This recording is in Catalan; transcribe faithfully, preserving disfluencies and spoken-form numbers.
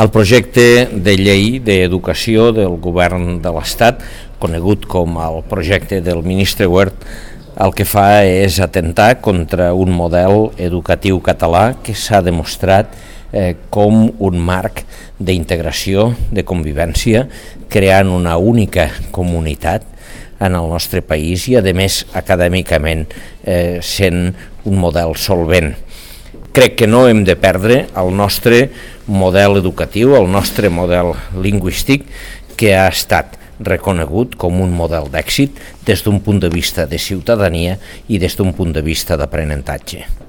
El projecte de llei d'educació del govern de l'Estat, conegut com el projecte del ministre Wert, el que fa és atentar contra un model educatiu català que s'ha demostrat eh, com un marc d'integració, de convivència, creant una única comunitat en el nostre país i, a més, acadèmicament eh, sent un model solvent. Crec que no hem de perdre el nostre model educatiu, el nostre model lingüístic, que ha estat reconegut com un model d'èxit des d'un punt de vista de ciutadania i des d'un punt de vista d'aprenentatge.